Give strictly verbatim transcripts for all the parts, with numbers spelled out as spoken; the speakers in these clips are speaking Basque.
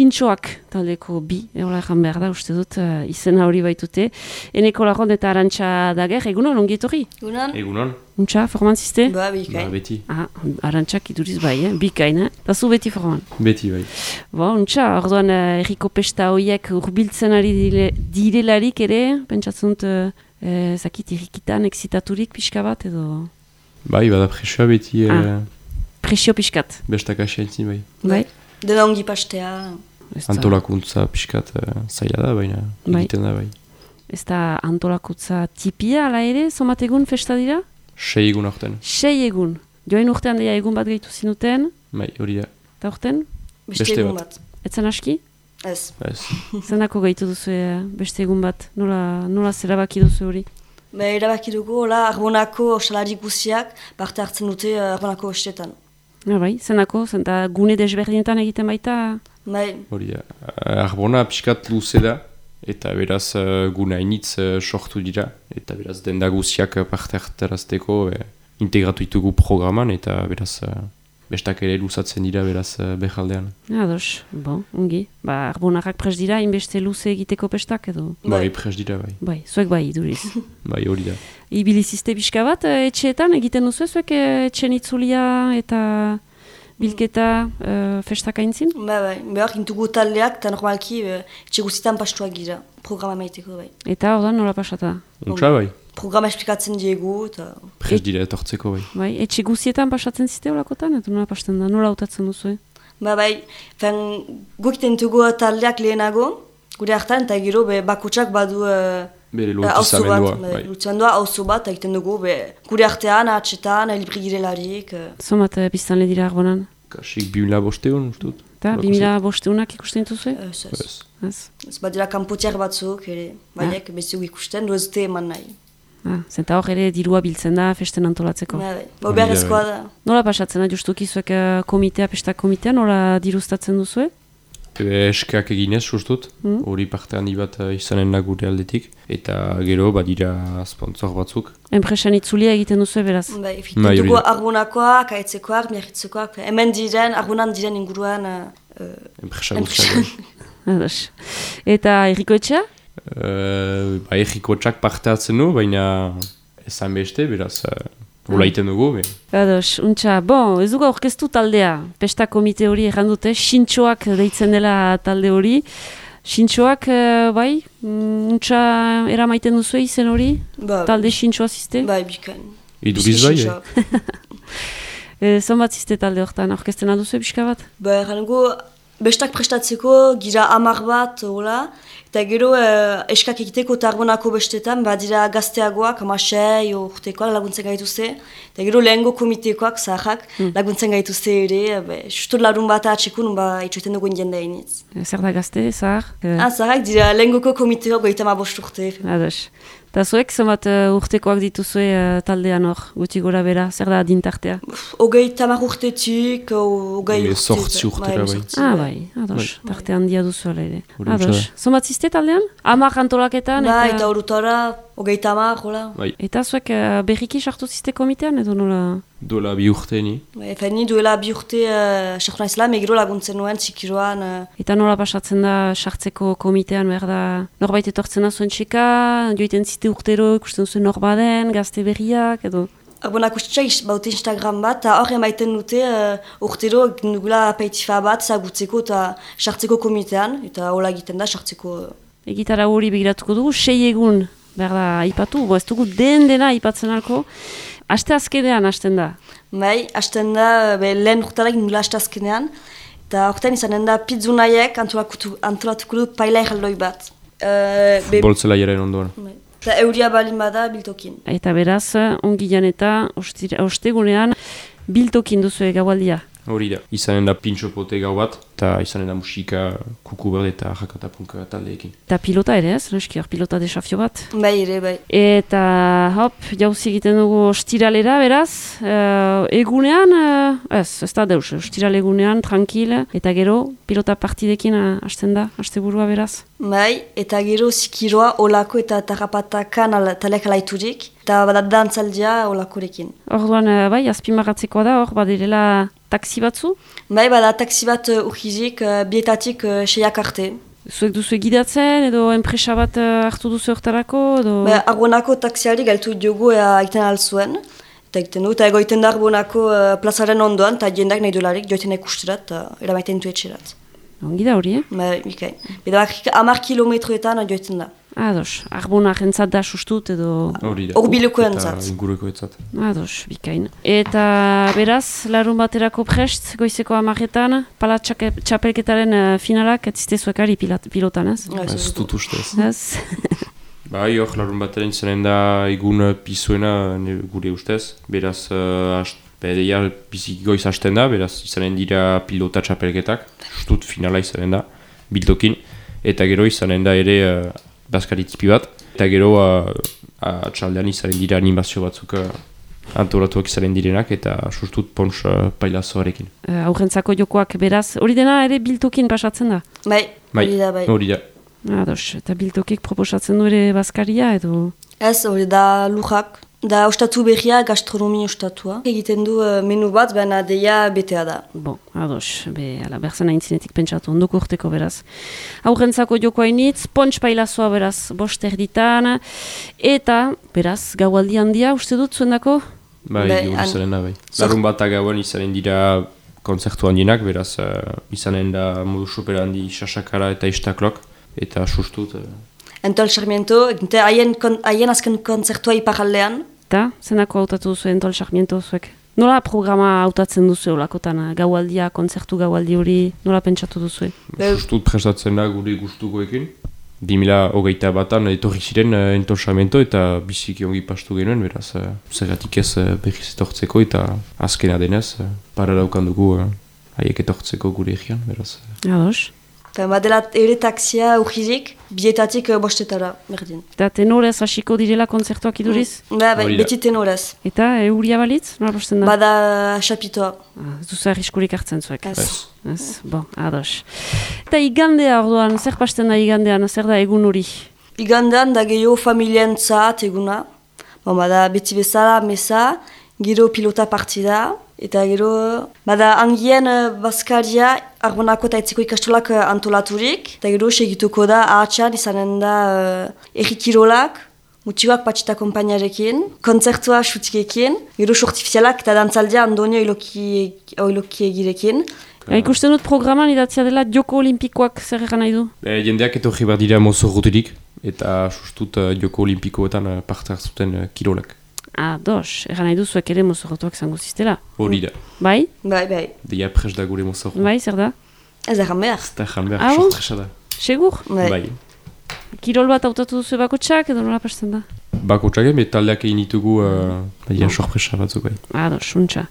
Sintxoak taldeko bi, egola egan behar da, uste dut, uh, izena hori baitute. Eneko Larron eta Arantxa Dager, egunon, ongietorri? Egunon. Egunon. Untxa, formantziste? Ba, bikain. Ba, beti. Ah, Arantxak iduriz bai, eh? Bikain, eh? Eta zu beti forman? Beti bai. Ba, untxa, orduan uh, erriko pesta horiek urbiltzen ari dire, direlarik ere, pentsatzen dut, uh, uh, zakit, errikitan, exitaturik pixka bat, edo... Bai, bada presioa beti... Ah, eh, presio pixkat. bestak asientzin bai. Bai? Dena ongi pastea. Ez da- Antolakuntza pixkat uh, zaila da, baina Bai. egiten da bai. Ez da antolakutza tipia, ala ere, somat egun festa dira? Sei egun aurten. Sei egun. Joain urtean deia egun bat gehitu zinuten, Bai, hori da. eta urten, Beste Beste egun bat. bat. etzen aski? Ez. Ez. Zendako gehitu duzu eh, beste egun bat? Nola, nola zerabaki duzu hori? Ba, erabaki dugu, hola, Arbonako salari guziak parte hartzen dute uh, Arbonako estetan. Ja, bai, zendako, zenta gune desberdinetan egiten baita? Bai, Hori da. Uh, Arbona pixkat luze da, eta beraz uh, gune hainitz uh, sortu dira, eta beraz denda guziak uh, parte hartarazteko uh, integratu ditugu programan, eta beraz uh, bestak ere luzatzen dira beraz uh, behaldean. Ja, ados, bon, ongi. Ba, Arbonarrak pres dira, inbeste luze egiteko pestak edo? Bai, Bai. pres dira bai. Bai, zuek bai, iduriz. Bai, hori da. Ibilizizte pixka bat, eh, etxeetan egiten duzu zuek eh, etxen itzulia eta bilketa eh, festak aintzin? ba, bai. Behar, intugu taldeak eta normalki uh, etxe guztietan pastuak gira. Programa maiteko, bai. Eta ordan nola pasata? Untsa bai. Programa esplikatzen diegu, eta... Pres dira etortzeko bai. Bai, etxe guzietan pasatzen zite olakotan, eta nola pasten da, nola hautatzen duzu? Ba, bai, fen, gukiten dugu taldeak lehenago, gure hartan, eta gero be, bakutsak badu... Uh, Bere auzo bat, lotizamendua. bai. Bai. Lotizamendua, auzo bat, egiten dugu, be, gure artean, atxetan, libri girelarik. Uh, Zomat eh, biztanle dira arbonan? Kasik bimila bosteun, ustut. Eta, Holako bimila bosteunak ikusten dituzue? ez, ez. Ez. Ez. Ez badira kanpotiak batzuk, ere, baiek, beziuk ikusten, du ez dute eman nahi. Ah, zenta hor ere dirua biltzen da festen antolatzeko. Ba, bai. Ba, beharrezkoa da. Nola pasatzen da, justuki zuek eh, komitea, pesta komitea, nola diruztatzen duzue? Ebe eskak eginez, sustut, Mm. hori parte handi bat eh, izanen da gure aldetik, eta gero badira sponsor batzuk. Enpresan itzulia egiten duzue beraz? Bai, Bai, egiten hori dugu da. arbonakoak, aitzekoak, miarritzekoak, hemen diren, arbonan diren inguruan, uh, uh, Enpresa enpresan. guztiak. Ados. Eta erriko etxea? Uh, ba, egikotxak parte hartzen du, baina ezan beste, beraz, uh, hola iten dugu. Be. Ados, untxa, bon, ez dugu aurkeztu taldea. Pesta komite hori errandute, Sintxoak deitzen dela talde hori. Sintxoak, eh, bai, mm, untxa eramaiten duzu izen hori? Ba, Talde Sintxoa ziste? bai, bikain. Iduriz bai, eh? E, Zonbat ziste talde horretan, aurkezten alduzu pixka bat? Ba, errango, bestak prestatzeko, gira amar bat, hola, eta gero uh, eskak egiteko eta arbonako bestetan, badira gazteagoak, amasei, urtekoak laguntzen gaituzte, eta gero lehengo komitekoak, zaharrak, laguntzen gaituzte ere, be, justu larun bat atxekun, ba, itxoiten dugu indien da iniz. E, Zer da gazte, zahar? E, Ah, zaharrak dira lehengoko komiteoak goita ma bost urte. Ados. Eta zuek, zonbat uh, urtekoak dituzue uh, taldean hor, guti gora bera, zer da adintartea? Ogei tamar urtetik, o- ogei Eme urte. sortzi urtera, bai. sortzi, Ah, bai, ados, tarte handia duzu ala ere. Hori Ados. untsa Zonbat ziste taldean? Amak antolaketan? Ba, eta horutara, ogei tamar, hola. Bai, Eta zuek uh, berriki sartu ziste komitean edo nola? duela bi urte ni. Ba, efen ni duela bi urte uh, sartu naizela, megiro laguntzen nuen, txikiroan. Uh, Eta nola pasatzen da sartzeko komitean, behar da norbait etortzen da zuen txeka, joiten zite urtero ikusten zuen norbaden, gazte berriak edo? Arbonako txai baute Instagram bat, eta hor emaiten dute uh, urtero egin dugula apeitifa bat, zagutzeko eta sartzeko komitean, eta hola egiten da sartzeko... Uh, Egitara hori begiratuko dugu, sei egun behar da aipatu, bo ez dugu den dena aipatzen alko, aste azkenean hasten da. bai, hasten da, be, lehen urtarak nula haste azkenean, eta horretan izanen da pizzunaiek antolatuko antolatuko dut paila erraldoi bat. Uh, be, Boltzela jaren ondoan. bai. Eta euria balin bada biltokin. Eta beraz, ongi jan eta ostira- ostegunean biltokin duzu gaualdia. Hori da. Izanen da pintxo pote gau bat, eta izanen da musika kuku berde eta jakatapunka taldeekin. Eta pilota ere ez, noski hor pilota desafio bat. Bai, ere, bai. Eta hop, jauzi egiten dugu ostiralera beraz, uh, egunean, uh, ez, ez da deus, ostiral egunean, tranquil, eta gero pilota partidekin uh, hasten da, asteburua beraz. Bai, eta gero zikiroa olako eta tarrapatakan ala, talek alaiturik, eta bada dantzaldia olakorekin. Orduan, uh, bai, azpimarratzekoa da, hor badirela taksi batzu, Bai, bada taksi bat uh, urri urgizik uh, bietatik uh, seiak arte. Zuek duzu gidatzen edo enpresa bat uh, hartu duzu hortarako? Edo... Be, Arbonako taksiari galtu diogu ea egiten alzuen. Eta egiten du, eta egoiten da Arbonako uh, plazaren ondoan, eta jendak nahi dolarik joiten ikusterat, eta uh, eramaiten du etxerat. Ongi da hori, eh? Be, okay. Beda hamar kilometroetan joiten da. Ados, Arbona jentzat da sustut edo... Hori da. Horbileko entzat. Eta inguruko entzat. Ados, bikain. Eta beraz, larun baterako prest, goizeko amaretan, pala txake- txapelketaren uh, finalak, ez ziste zuekari pilat- pilotan, ez? Ez dut ustez. Ez? Bai, hor, larun bateren izanen da egun pizuena ne- gure ustez. Beraz, uh, ast, bedeia bizik goiz hasten da, beraz izanen dira pilota txapelketak. Justut finala izanen da, bildokin. Eta gero izanen da ere uh, bazkari tipi bat. Eta gero uh, atxaldean izanen dira animazio batzuk uh, antolatuak izanen direnak eta sustut pons uh, pailazoarekin. Uh, aurrentzako jokoak beraz, hori dena ere biltokin pasatzen da? Bai, Bai, hori da, bai. hori da. Ados, eta biltokik proposatzen du ere bazkaria edo... Ez, hori da lujak. Da ostatu berria, gastronomi ostatua. Egiten du uh, menu bat, baina deia betea da. Bon, ados, be, ala, berzena intzinetik pentsatu, ondoko urteko beraz. Aurrentzako joko hainitz, pontx pailazoa beraz, bost erditan, eta, beraz, gaualdi handia, uste dut, zuendako? Bai, Bai, gure an- izanen da, bai. Zor- Larun bat gauan izanen dira kontzertu handienak, beraz uh, izanen da modu super handi sasakara eta istaklok, eta sustut... Uh, Entol Sarmiento, egite haien kon- haien azken kontzertua iparaldean. Eta, zenako hautatu duzu entol Sarmiento zuek? Nola programa hautatzen duzu olakotan, gaualdia, kontzertu gaualdi hori, nola pentsatu duzu? Be- sustut prestatzen da gure gustukoekin. bi mila hogeita batan etorri ziren uh, Entol Sarmiento eta biziki ongi pastu genuen, beraz uh, zergatik ez uh, berriz etortzeko eta azkena denez, uh, para daukan dugu uh, haiek etortzeko gure egian, beraz... Uh, Ados. Eta badela ere taksia urgizik, bietatik uh, bostetara, berdin. Eta tenorez hasiko direla kontzertuak iduriz? Ba, bai, Hori da. beti tenorez. Eta, euria balitz? Nola posten da? Bada xapitoa. Ah, ez duzu arriskurik hartzen zuek. Ez. Ez. Ez, bon, ados. Eta igandea orduan, zer pasten da igandean, zer da egun hori? Igandean da gehiago familientzat eguna. Bon, bada beti bezala, mesa, gero pilota partida. Eta gero, bada angien uh, bazkaria Arbonako eta etzeko ikastolak uh, antolaturik. Eta gero segituko da ahatsan izanen da uh, errikirolak, mutxikoak patxita kompainarekin, kontzertua xutikekin, gero sortifizialak eta dantzaldia Andonio oiloki egirekin. Ja, ikusten dut programan idatzia dela joko olimpikoak zer egan nahi du? E, jendeak etorri behar dira mozorroterik, eta sustut uh, joko olimpikoetan uh, parte hartzuten uh, kirolak. Ah, dos, egan nahi duzuek ere mozorrotuak zango ziztela. Hori da. Bai? Bai, bai. Deia pres da gure mozorro. Bai, zer da? Ez da behar. Ez da jan behar, Ah, bon? sortresa da. Segur? Bai. Bai. Kirol bat hautatu duzu bakotxak edo nola pasten da? Bako txagen, taldeak egin ditugu, uh, baina sorpresa batzuk bai. Ah, dos, untxa.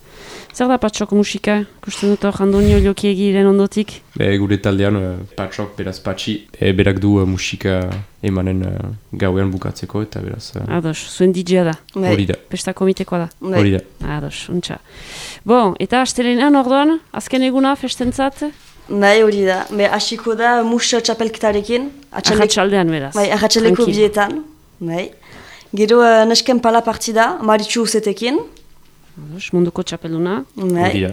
Zer da patxok musika? Ikusten dut hor Andonio Oiloki egiren ondotik? Be, gure taldean, uh, patxok, beraz patxi, e, berak du uh, musika emanen uh, gauean bukatzeko, eta beraz... Uh, Ah, dos, zuen D J-a da. Bai. hori da, Pesta komitekoa da. Bai. hori da. Ah, dos, untxa. Bon, eta astelenean orduan, azken eguna festentzat? Bai, hori da. Be, hasiko da mus txapelketarekin. Atxalek- Ahatxaldean beraz. Bai, ahatxaleko Tranquil. bietan. Bai. Gero uh, nesken pala partida, Maritxu Uzetekin. Ados, munduko txapelduna. Bai. Hori da.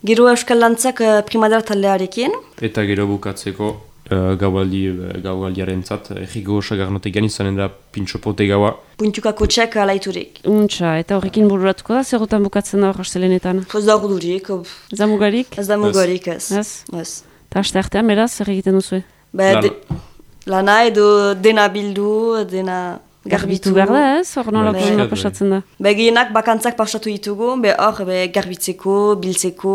Gero Euskal Lantzak uh, primadar taldearekin. Eta gero bukatzeko uh, gaualdi, uh, gaualdiaren zat, erriko sagarnotegian izanen da pintxopote gaua. Puntukako txek alaiturik. Untxa, eta horrekin bururatuko da, zerotan bukatzen da hor astelenetan. Ez da ordurik, Ez da mugarik? ez da mugarik ez. Ez? Ez. Eta aste artean, beraz, zer egiten duzu? Ba, Lana. de, lana edo dena bildu, dena garbitu. Garbitu behar da, ez? Hor nola Bai, nola bai. pasatzen da. Be, gehienak bakantzak pasatu ditugu, be hor be, garbitzeko, biltzeko,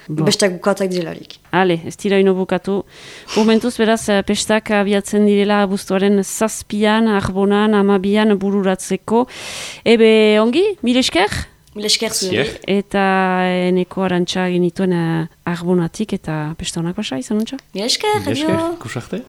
Bo. bestak bukatak direlarik. Ale, ez dira ino bukatu. Momentuz, beraz, eh, pestak abiatzen direla abuztuaren zazpian, arbonan, amabian bururatzeko. Ebe, ongi, mil esker? Mil esker zuen. Zier. Eta eneko arantxa genituen eh, arbonatik eta pesta honak basa, izan nuntza? Mil esker, Esker, adio. kusarte?